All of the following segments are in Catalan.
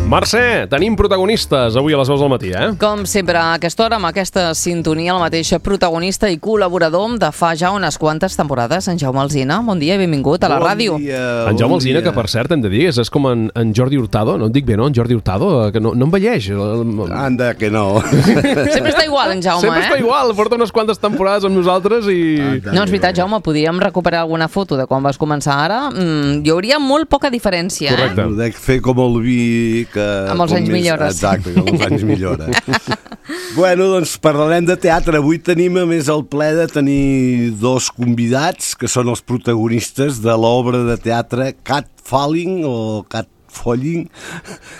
Mercè, tenim protagonistes avui a les 2 del matí, Com sempre, a aquesta hora, amb aquesta sintonia, el mateix protagonista i col·laborador de fa ja unes quantes temporades, en Jaume Alsina. Bon dia i benvingut a la ràdio. En Jaume Alsina, que per cert, hem de dir, és com en Jordi Hurtado, no et dic bé, no? En Jordi Hurtado, que no envelleix. Anda, que no. Sempre està igual, en Jaume, Sempre està igual, porta unes quantes temporades amb nosaltres i... No, és veritat, Jaume, podríem recuperar alguna foto de quan vas començar ara. Hi hauria molt poca diferència, Correcte. Ho dec fer com el vi que... Amb els anys millores. Exacte, que amb els anys millora. Bueno, doncs parlarem de teatre. Avui tenim, a més, el ple de tenir dos convidats, que són els protagonistes de l'obra de teatre Cat Falling o Cat Falling,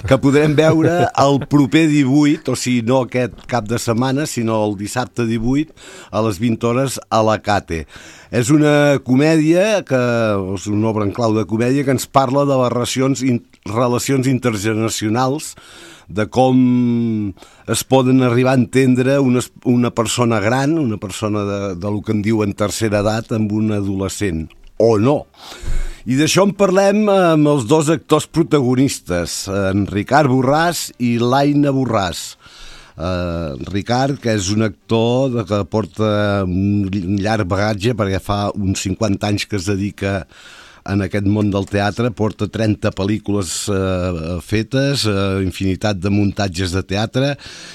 que podrem veure el proper 18, o sigui, no aquest cap de setmana, sinó el dissabte 18, a les 20 hores a la Cate. És una comèdia, és una obra en clau de comèdia, que ens parla de les relacions intergeneracionals, de com es poden arribar a entendre una persona gran, una persona de lo que en diuen tercera edat, amb un adolescent, o no. I d'això en parlem amb els dos actors protagonistes, en Ricard Borràs i l'Aina Borràs. Ricard, que és un actor que porta un llarg bagatge, perquè fa uns 50 anys que es dedica en aquest món del teatre, porta 30 pel·lícules fetes, infinitat de muntatges de teatre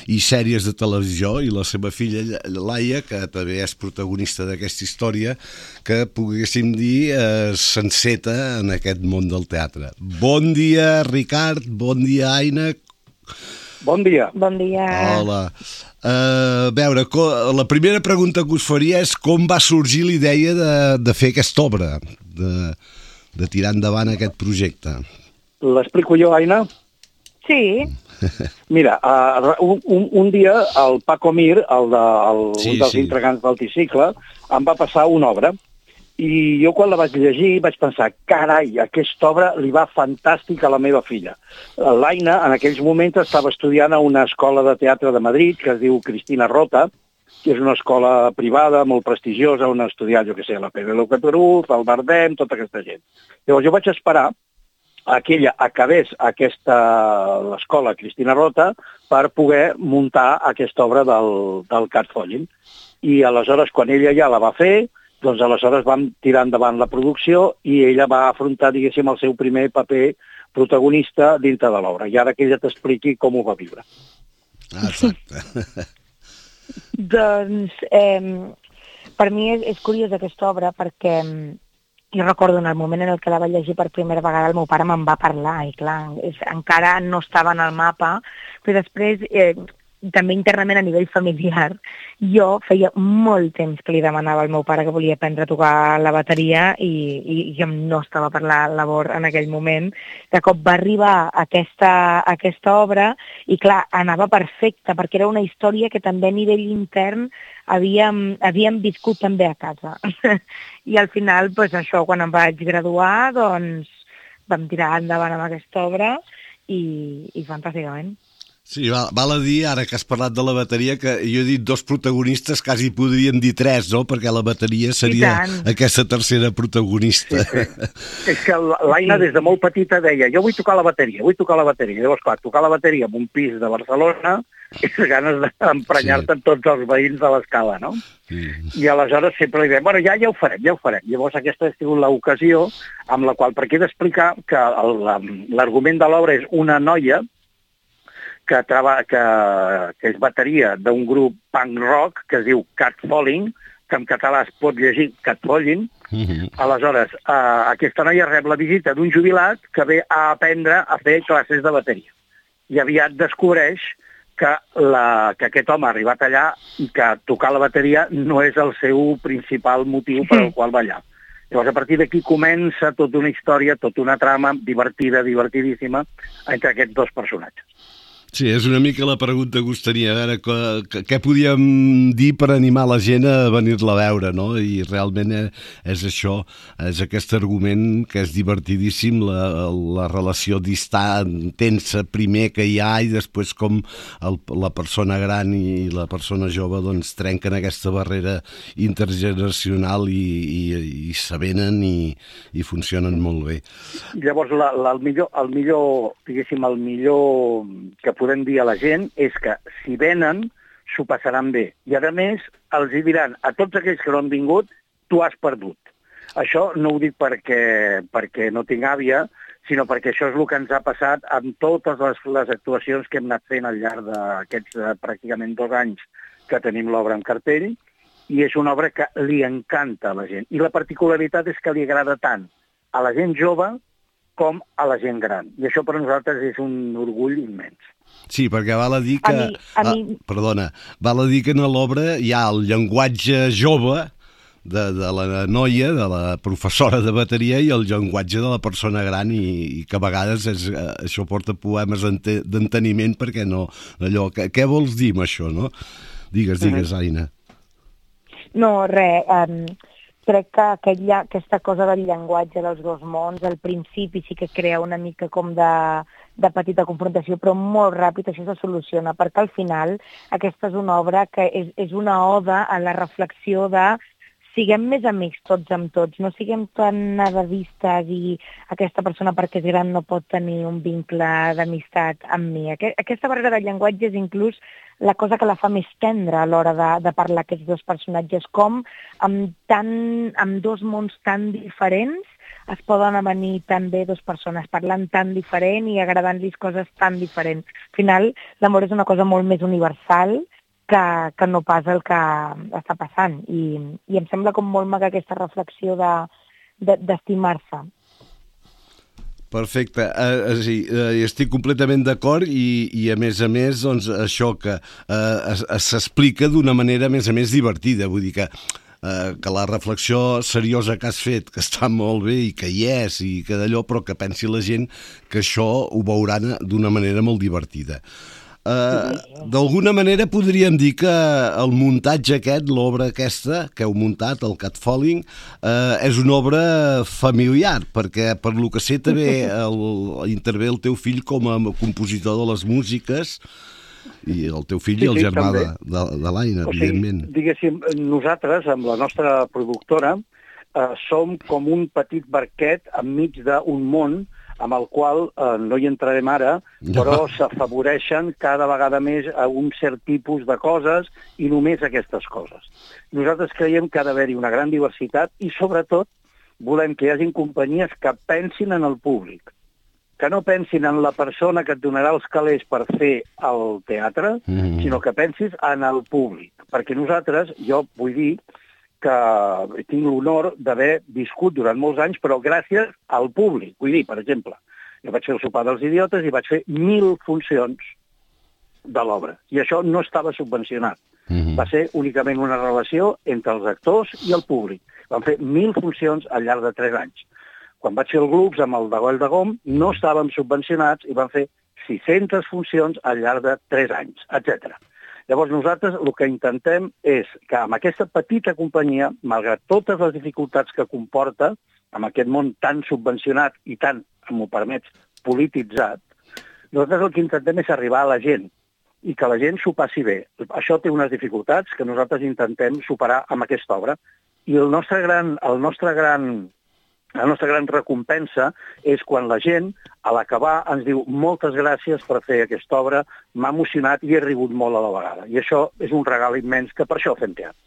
i sèries de televisió, i la seva filla Laia, que també és protagonista d'aquesta història, que poguéssim dir s'enceta en aquest món del teatre. Bon dia, Ricard, bon dia, Aina. Bon dia. Bon dia. Hola. A veure, la primera pregunta que us faria és com va sorgir la idea de fer aquesta obra, de tirar endavant aquest projecte. L'explico jo, Aina? Sí. Mira, un dia el Paco Mir, un dels Sí. integrants del Tricicle, em va passar una obra. I jo quan la vaig llegir vaig pensar, carai, aquesta obra li va fantàstic a la meva filla. L'Aina en aquells moments estava estudiant a una escola de teatre de Madrid que es diu Cristina Rota, que és una escola privada molt prestigiosa on ha estudiat, jo què sé, la Penélope Cruz, el Bardem, tota aquesta gent. Llavors jo vaig esperar que ella acabés l'escola Cristina Rota per poder muntar aquesta obra del Cat Falling. I aleshores, quan ella ja la va fer, doncs aleshores vam tirar endavant la producció i ella va afrontar, diguéssim, el seu primer paper protagonista dintre de l'obra. I ara que ella t'expliqui com ho va viure. Exacte. Doncs per mi és curiosa aquesta obra perquè jo recordo en el moment en el que la vaig llegir per primera vegada el meu pare me'n va parlar i clar, encara no estava en el mapa, però després també internament a nivell familiar jo feia molt temps que li demanava al meu pare que volia aprendre a tocar la bateria i jo no estava per la labor en aquell moment. De cop va arribar aquesta obra i clar, anava perfecta perquè era una història que també a nivell intern havíem viscut també a casa. I al final, doncs això, quan em vaig graduar, doncs vam tirar endavant amb aquesta obra i fantàsticament. Sí, val a dir, ara que has parlat de la bateria, que jo he dit dos protagonistes, quasi podríem dir tres, no? Perquè la bateria seria aquesta tercera protagonista. Sí. És que l'Aina des de molt petita deia jo vull tocar la bateria. Llavors, clar, tocar la bateria en un pis de Barcelona és ganes d'emprenyar-te amb tots els veïns de l'escala, no? Sí. I aleshores sempre li dèiem, bueno, ja ho farem. Llavors aquesta ha sigut l'ocasió amb la qual, perquè he d'explicar que l'argument de l'obra és una noia que és bateria d'un grup punk rock que es diu Cat Falling, que en català es pot llegir Cat Falling. Aleshores, aquesta noia rep la visita d'un jubilat que ve a aprendre a fer classes de bateria. I aviat descobreix que aquest home ha arribat allà i que tocar la bateria no és el seu principal motiu per al qual va allà. Llavors, a partir d'aquí comença tota una història, tota una trama divertidíssima entre aquests dos personatges. Sí, és una mica la pregunta que us tenia. A veure, què podíem dir per animar la gent a venir-la a veure, no? I realment és això, és aquest argument que és divertidíssim, la relació distant, tensa primer que hi ha i després com la persona gran i la persona jove doncs trenquen aquesta barrera intergeneracional i s'avenen i funcionen molt bé. Llavors, el millor, diguéssim, el millor que podem dir a la gent és que si venen, s'ho passaran bé. I a més, els hi diran a tots aquells que no han vingut, tu has perdut. Això no ho dic perquè no tinc àvia, sinó perquè això és el que ens ha passat amb totes les actuacions que hem anat fent al llarg d'aquests pràcticament 2 anys que tenim l'obra en cartell, i és una obra que li encanta a la gent. I la particularitat és que li agrada tant a la gent jove com a la gent gran. I això per nosaltres és un orgull immens. Sí, perquè val a dir que... Perdona, val a dir que en l'obra hi ha el llenguatge jove de la noia, de la professora de bateria, i el llenguatge de la persona gran, i que a vegades això porta poemes d'enteniment, perquè no... Allò, què vols dir amb això, no? Digues, Aina. No, res. Crec que aquesta cosa del llenguatge dels 2 mons, al principi sí que crea una mica com de petita confrontació, però molt ràpid això se soluciona, perquè al final aquesta és una obra que és una oda a la reflexió de siguem més amics tots amb tots, no siguem tan nadavistes i aquesta persona perquè és gran no pot tenir un vincle d'amistat amb mi. Aquesta barrera del llenguatge és inclús la cosa que la fa més tendra a l'hora de parlar aquests 2 personatges, com amb 2 mons tan diferents es poden avenir tan bé 2 persones parlant tan diferent i agradant-los coses tan diferents. Al final, l'amor és una cosa molt més universal que no pas el que està passant. I em sembla com molt maca aquesta reflexió d'estimar-se. Perfecte, estic completament d'acord i a més, doncs, això que s'explica d'una manera a més divertida, vull dir que la reflexió seriosa que has fet, que està molt bé i que hi és i que d'allò, però que pensi la gent que això ho veuran d'una manera molt divertida. D'alguna manera podríem dir que el muntatge aquest, l'obra aquesta que heu muntat, el Catfalling, és una obra familiar, perquè per lo que sé també intervé el teu fill com a compositor de les músiques, i el teu fill i el germà de l'Aina, evidentment. Diguéssim, nosaltres, amb la nostra productora, som com un petit barquet enmig d'un món amb el qual no hi entrarem ara, però s'afavoreixen cada vegada més a un cert tipus de coses i només aquestes coses. Nosaltres creiem que ha d'haver-hi una gran diversitat i, sobretot, volem que hi hagi companyies que pensin en el públic, que no pensin en la persona que et donarà els calés per fer el teatre, sinó que pensis en el públic. Perquè nosaltres, jo vull dir que tinc l'honor d'haver viscut durant molts anys, però gràcies al públic. Vull dir, per exemple, jo vaig fer el sopar dels idiotes i vaig fer 1.000 funcions de l'obra. I això no estava subvencionat. Va ser únicament una relació entre els actors i el públic. Vam fer 1.000 funcions al llarg de 3 anys. Quan vaig fer el grups amb el de Goll de Gom, no estàvem subvencionats i vam fer 600 funcions al llarg de 3 anys, etc. Llavors nosaltres el que intentem és que amb aquesta petita companyia, malgrat totes les dificultats que comporta, amb aquest món tan subvencionat i tan, m'ho permets, polititzat, nosaltres el que intentem és arribar a la gent i que la gent s'ho passi bé. Això té unes dificultats que nosaltres intentem superar amb aquesta obra. I la nostra gran recompensa és quan la gent, a l'acabar, ens diu moltes gràcies per fer aquesta obra, m'ha emocionat i he rigut molt a la vegada. I això és un regal immens, que per això fem teatre.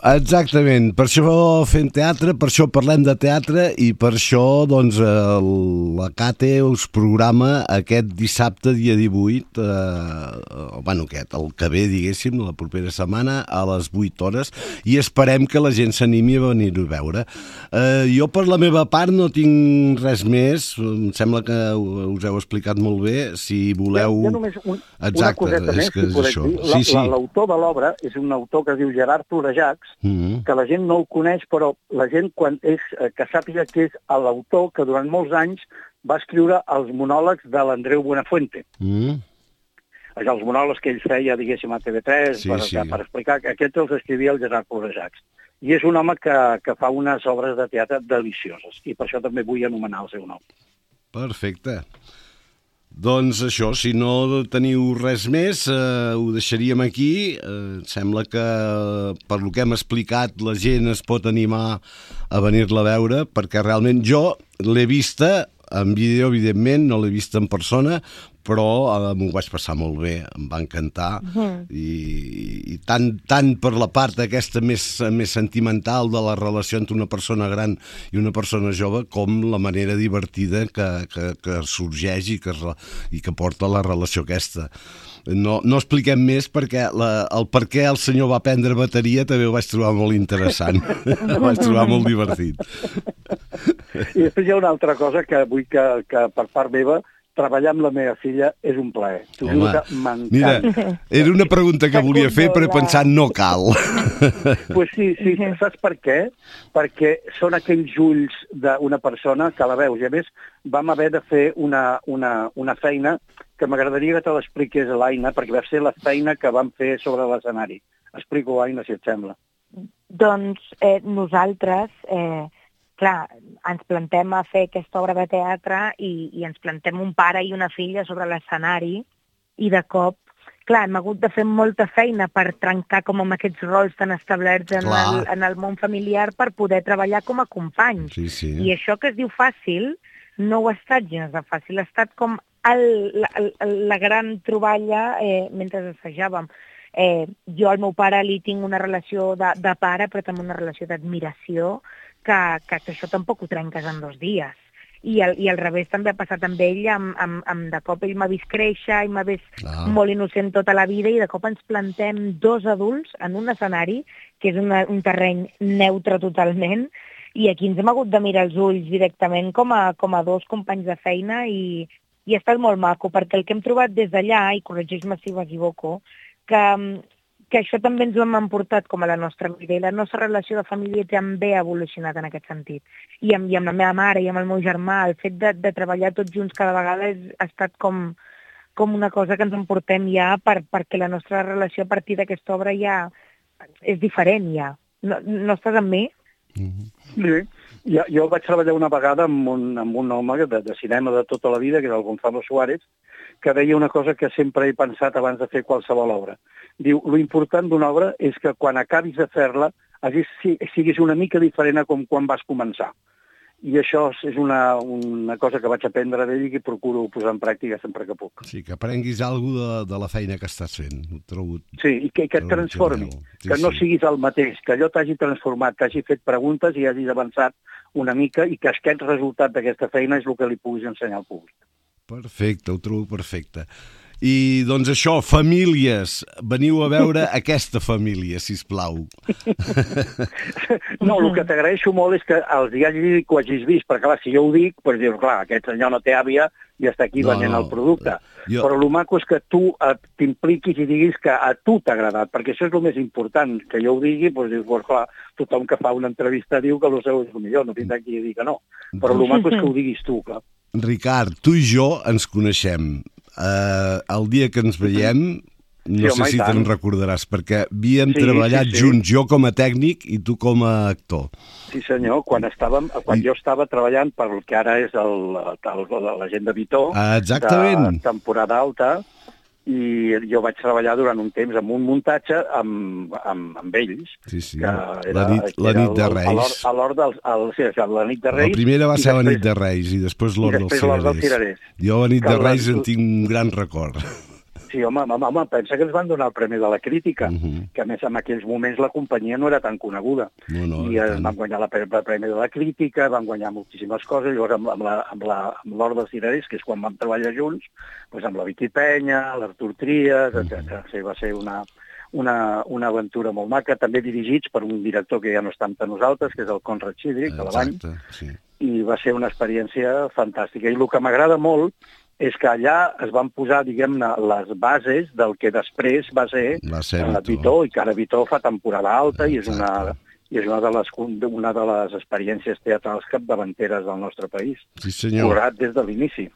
Exactament, per això fem teatre, per això parlem de teatre i per això doncs la CATE us programa aquest dissabte dia 18, el que ve, diguéssim, la propera setmana a les 8 hores, i esperem que la gent s'animi a venir-ho a veure. Jo per la meva part no tinc res més, em sembla que us heu explicat molt bé, si voleu... Jo només una coseta més, si podem dir. L'autor de l'obra és un autor que es diu Gerard Florejacs, que la gent no el coneix, però la gent que sàpiga que és l'autor que durant molts anys va escriure els monòlegs de l'Andreu Buenafuente. Els monòlegs que ell feia, diguéssim, a TV3, per explicar que aquests els escrivia el Gerard Florejacs. I és un home que fa unes obres de teatre delicioses, i per això també vull anomenar el seu nom. Perfecte. Doncs això, si no teniu res més, ho deixaríem aquí. Sembla que, per lo que hem explicat, la gent es pot animar a venir-la a veure, perquè realment jo l'he vista en vídeo, evidentment, no l'he vista en persona, però m'ho vaig passar molt bé, em va encantar, i tant per la part aquesta més sentimental de la relació entre una persona gran i una persona jove, com la manera divertida que sorgeix i que porta la relació aquesta. No expliquem més, perquè el per què el senyor va aprendre bateria també ho vaig trobar molt interessant. Ho vaig trobar molt divertit. I després hi ha una altra cosa que vull que per part meva, treballar amb la meva filla és un plaer. T'ho juro que m'encanta. Mira, era una pregunta que volia fer, però he pensat no cal. Pues sí, saps per què? Perquè són aquells ulls d'una persona que la veus. I a més, vam haver de fer una feina que m'agradaria que te l'expliqués a l'Aina, perquè va ser la feina que vam fer sobre l'escenari. Explico, Aina, si et sembla. Doncs nosaltres... clar, ens plantem a fer aquesta obra de teatre i ens plantem un pare i una filla sobre l'escenari i de cop, clar, hem hagut de fer molta feina per trencar com amb aquests rols tan establerts en el món familiar per poder treballar com a companys. Sí. I això que es diu fàcil no ho ha estat gens de fàcil, ha estat com la gran troballa mentre assajàvem. Jo al meu pare li tinc una relació de pare, però també una relació d'admiració, que això tampoc ho trenques en 2 dies. I al revés també ha passat amb ell, de cop ell m'ha vist créixer i m'ha vist molt innocent tota la vida i de cop ens plantem 2 adults en un escenari, que és un terreny neutre totalment, i aquí ens hem hagut de mirar els ulls directament com a 2 companys de feina i ha estat molt maco, perquè el que hem trobat des d'allà, i corregeix-me si m'equivoco, que això també ens ho hem emportat com a la nostra vida i la nostra relació de família també ha evolucionat en aquest sentit. I amb la meva mare i amb el meu germà, el fet de treballar tots junts cada vegada ha estat com una cosa que ens emportem ja perquè la nostra relació a partir d'aquesta obra ja és diferent ja. No estàs amb mi? Sí. Jo vaig treballar una vegada amb un home de cinema de tota la vida, que era el Gonzalo Suárez, que deia una cosa que sempre he pensat abans de fer qualsevol obra. Diu, lo important d'una obra és que quan acabis de fer-la siguis una mica diferent a com quan vas començar. I això és una cosa que vaig aprendre d'ell i que procuro posar en pràctica sempre que puc. Sí, que aprenguis alguna cosa de la feina que estàs fent. Sí, i que et transformi, que no siguis el mateix, que allò t'hagi transformat, que hagi fet preguntes i hagis avançat una mica i que aquest resultat d'aquesta feina és el que li puguis ensenyar al públic. Perfecte, ho trobo perfecte. I doncs això, famílies, veniu a veure aquesta família, sisplau. No, el que t'agraeixo molt és que els hagis dit que ho hagis vist, perquè clar, si jo ho dic, doncs dius, clar, aquest senyor no té àvia i està aquí venent el producte. Però el maco és que tu t'impliquis i diguis que a tu t'ha agradat, perquè això és el més important, que jo ho digui, doncs dius, clar, tothom que fa una entrevista diu que el seu és el millor, no tindrà qui dir que no. Però el maco és que ho diguis tu, clar. Ricard, tu i jo ens coneixem. El dia que ens veiem, no sé si te'n recordaràs, perquè havíem treballat junts, jo com a tècnic i tu com a actor. Sí, senyor, quan jo estava treballant per el que ara és la gent de Vitó, de temporada alta, i jo vaig treballar durant un temps en un muntatge amb ells. Sí, la nit de Reis. La nit de Reis. La primera va ser la nit de Reis i després l'Hort dels Cirerers. Jo a la nit de Reis en tinc un gran record. Sí, home, pensa que ens van donar el Premi de la Crítica, que a més en aquells moments la companyia no era tan coneguda. I van guanyar el Premi de la Crítica, van guanyar moltíssimes coses, llavors amb l'Hort dels Cirerers, que és quan vam treballar junts, doncs amb la Vicky Penya, l'Artur Trias, etc. Va ser una aventura molt maca, també dirigits per un director que ja no està amb nosaltres, que és el Conrad Xidric, de l'Avall, i va ser una experiència fantàstica. I el que m'agrada molt és que allà es van posar, diguem-ne, les bases del que després va ser Vitó, i que ara Vitó fa temporada alta i és una de les experiències teatrals capdavanteres del nostre país. Sí, senyor. Curat des de l'inici.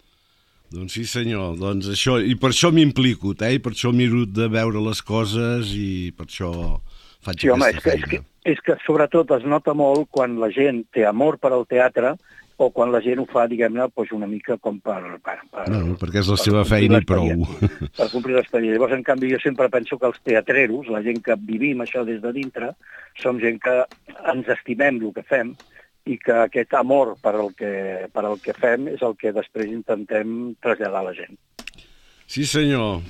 Doncs sí, senyor. Doncs això, i per això m'implico, i per això miro de veure les coses i per això faig aquesta feina. És que sobretot es nota molt quan la gent té amor per al teatre o quan la gent ho fa, diguem-ne, una mica com perquè és la seva feina i prou. Per complir l'expedient. Llavors, en canvi, jo sempre penso que els teatreros, la gent que vivim això des de dintre, som gent que ens estimem el que fem i que aquest amor per al que fem és el que després intentem traslladar a la gent. Sí, senyor.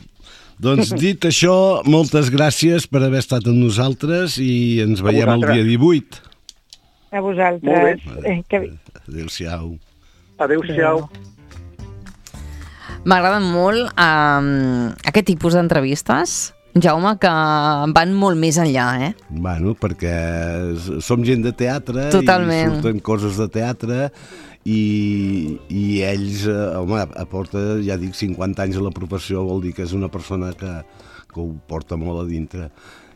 Doncs dit això, moltes gràcies per haver estat amb nosaltres i ens veiem el dia 18. A vosaltres. Adéu-siau. Adéu-siau. M'agraden molt aquest tipus d'entrevistes, Jaume, que van molt més enllà, Bueno, perquè som gent de teatre. Totalment. I surten coses de teatre i ells, home, aporta, ja dic, 50 anys a la professió, vol dir que és una persona que ho porta molt a dintre.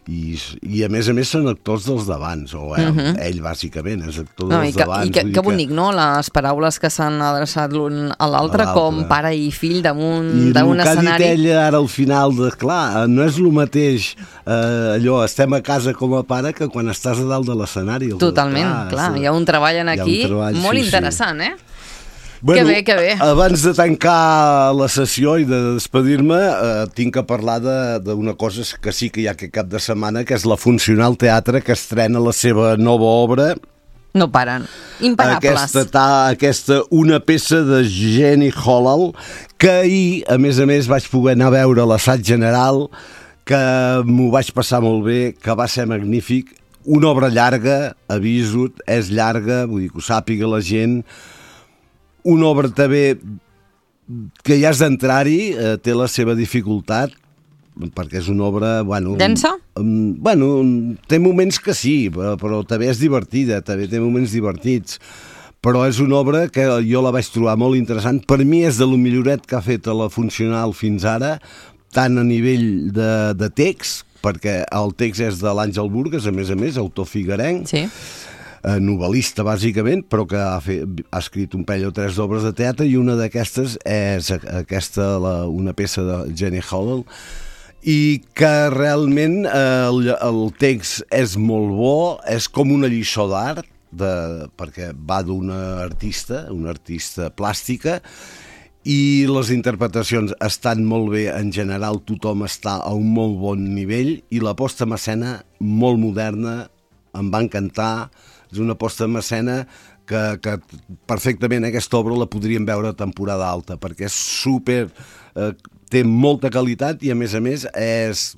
I a més són actors dels d'abans, o ell bàsicament és actor dels d'abans. I que bonic, no? Les paraules que s'han adreçat l'un a l'altre com pare i fill damunt d'un escenari. I el que ha dit ell ara al final, clar, no és el mateix allò, estem a casa com a pare que quan estàs a dalt de l'escenari. Totalment, clar, hi ha un treball aquí molt interessant, Bueno, que bé. Abans de tancar la sessió i de despedir-me, tinc que parlar d'una cosa que sí que hi ha aquest cap de setmana, que és la Funcional Teatre, que estrena la seva nova obra. No paren. Imparables. Aquesta una peça de Jenny Holland, que ahir, a més, vaig poder anar a veure l'assaig general, que m'ho vaig passar molt bé, que va ser magnífic. Una obra llarga, aviso, és llarga, vull dir que ho sàpiga la gent. Una obra també que ja has d'entrar-hi, té la seva dificultat, perquè és una obra... Densa? Té moments que sí, però també és divertida, també té moments divertits. Però és una obra que jo la vaig trobar molt interessant. Per mi és de lo milloret que ha fet a la Funcional fins ara, tant a nivell de text, perquè el text és de l'Àngel Burgas, a més, autor figuerenc, sí, novel·lista bàsicament, però que ha escrit un parell o tres d'obres de teatre, i una d'aquestes és una peça de Jenny Holland, i que realment el text és molt bo, és com una lliçó d'art, perquè va d'una artista plàstica, i les interpretacions estan molt bé, en general tothom està a un molt bon nivell, i la posta en escena molt moderna, em va encantar. És una posta en escena que perfectament aquesta obra la podríem veure a temporada alta, perquè és té molta qualitat i a més és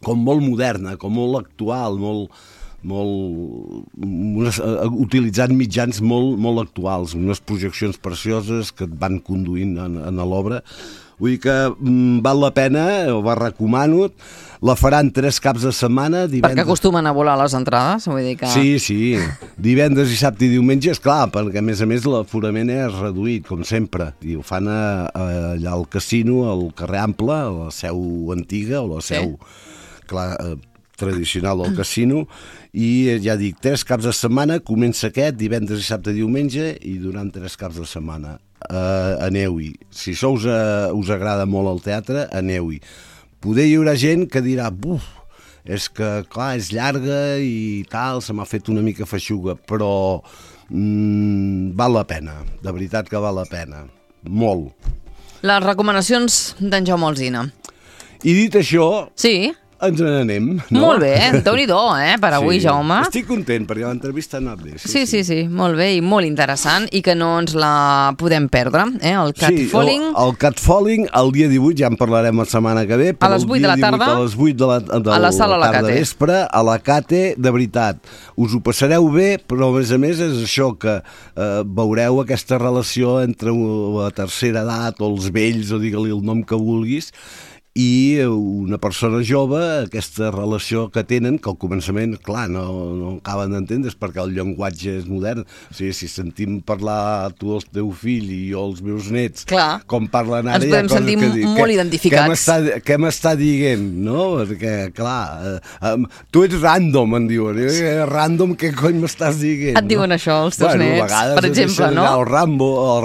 com molt moderna, com molt actual, utilitzant mitjans molt actuals, unes projeccions precioses que et van conduint en l'obra. Vull dir que val la pena, ho recomano. La faran 3 caps de setmana. Perquè acostumen a volar les entrades, vull dir que... Sí, divendres i dissabte i diumenge, esclar, perquè a més l'aforament és reduït, com sempre, i ho fan allà al casino, al carrer Ample, a la seu antiga, o la seu tradicional del casino, i ja dic, 3 caps de setmana, comença aquest, divendres, dissabte i diumenge, i durant 3 caps de setmana. Aneu-hi. Si això us agrada molt el teatre, aneu-hi. Poder hi haurà gent que dirà, és que, clar, és llarga i tal, se m'ha fet una mica feixuga, però val la pena, de veritat que val la pena, molt. Les recomanacions d'en Jaume Alsina. I dit això... Sí. Ens n'anem, no? Molt bé, Déu-n'hi-do, per avui, Jaume. Estic content, perquè l'entrevista ha anat bé. Sí, molt bé i molt interessant, i que no ens la podem perdre, el Catfalling. El Catfalling, el dia 18, ja en parlarem la setmana que ve, a les 8 de la tarda, a les 8 de a la sala La Cate. Vespre, a La Cate, de veritat. Us ho passareu bé, però a més és això que veureu aquesta relació entre la tercera edat o els vells, o digue-li el nom que vulguis, i una persona jove, aquesta relació que tenen, que al començament, clar, no acaben d'entendre perquè el llenguatge és modern. O sigui, si sentim parlar tu el teu fill i jo els meus nets, clar, com parlen ara, ens podem sentir molt identificats. Què m'està dient, no? Perquè, clar, tu ets random, em diuen. Random, què cony m'estàs dient? Et diuen això, els teus nets, per exemple, no? El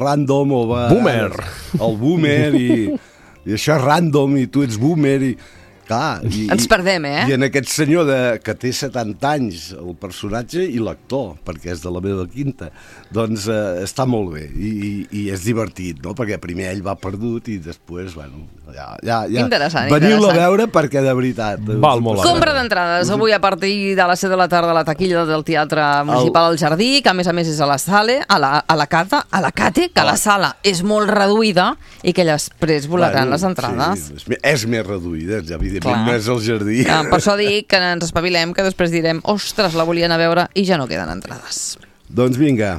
random, o boomer. El boomer, i això és random, i tu ets boomer, i... Clar, ens perdem, I en aquest senyor que té 70 anys, el personatge, i l'actor, perquè és de la meva quinta, doncs està molt bé, i és divertit, no? Perquè primer ell va perdut i després, bueno, ja interessant, veniu-lo a veure perquè de veritat... Val molt. Compra d'entrades avui a partir de les 7 de la tarda a la taquilla del Teatre Municipal al Jardí, que a més és a la Sale, a la Cate, que la sala és molt reduïda i que després volaran les entrades. Sí, és més reduïda, ja evidentment no és el Jardí. Per això dic que ens espavilem, que després direm ostres, la volien a veure i ja no queden entrades. Doncs vinga.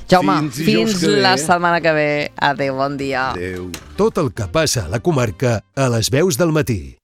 Jaume, fins la setmana que ve. Adéu, bon dia. Adéu. Tot el que passa a la comarca a les veus del matí.